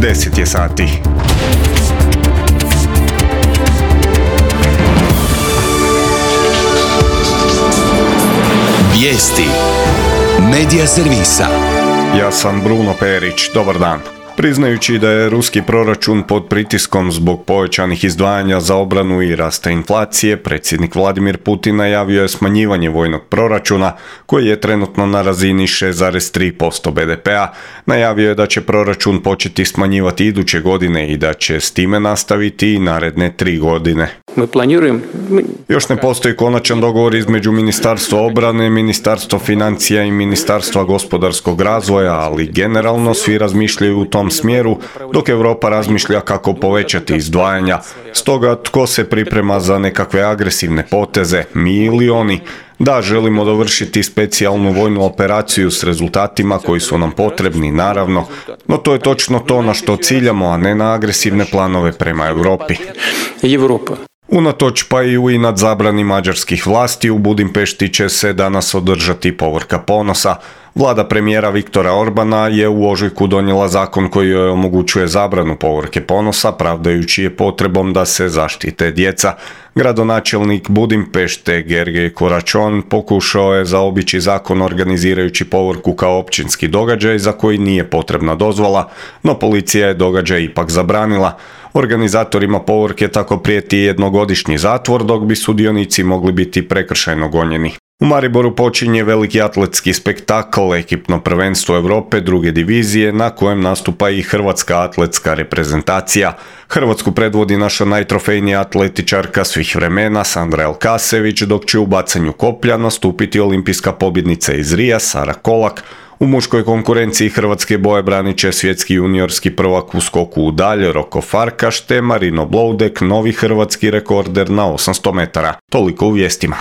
10 je sati. Vijesti Medija servisa. Ja sam Bruno Perić, dobar dan. Priznajući da je ruski proračun pod pritiskom zbog povećanih izdvajanja za obranu i rasta inflacije, predsjednik Vladimir Putin najavio je smanjivanje vojnog proračuna, koji je trenutno na razini 6,3% BDP-a. Najavio je da će proračun početi smanjivati iduće godine i da će s time nastaviti i naredne 3 godine. Još ne postoji konačan dogovor između Ministarstva obrane, Ministarstva financija i Ministarstva gospodarskog razvoja, ali generalno svi razmišljaju u tom smjeru, dok Europa razmišlja kako povećati izdvajanja. Stoga tko se priprema za nekakve agresivne poteze, mi ili oni? Da, želimo dovršiti specijalnu vojnu operaciju s rezultatima koji su nam potrebni, naravno, no to je točno to na što ciljamo, a ne na agresivne planove prema Europi. Unatoč pa i u inat zabrani mađarskih vlasti, u Budimpešti će se danas održati povorka ponosa. Vlada premijera Viktora Orbana je u ožujku donijela zakon koji joj omogućuje zabranu povorke ponosa, pravdajući je potrebom da se zaštite djeca. Gradonačelnik Budimpešte Gergely Koračon pokušao je zaobići zakon organizirajući povorku kao općinski događaj za koji nije potrebna dozvola, no policija je događaj ipak zabranila. Organizatorima povorke tako prijeti jednogodišnji zatvor, dok bi sudionici mogli biti prekršajno gonjeni. U Mariboru počinje veliki atletski spektakl, ekipno prvenstvo Europe druge divizije, na kojem nastupa i hrvatska atletska reprezentacija. Hrvatsku predvodi naša najtrofejnija atletičarka svih vremena, Sandra Elkasević, dok će u bacanju koplja nastupiti olimpijska pobjednica iz Rija, Sara Kolak. U muškoj konkurenciji hrvatske boje branit će svjetski juniorski prvak u skoku u dalj Roko Farkaš te Marino Bloudek, novi hrvatski rekorder na 800 metara. Toliko u vijestima.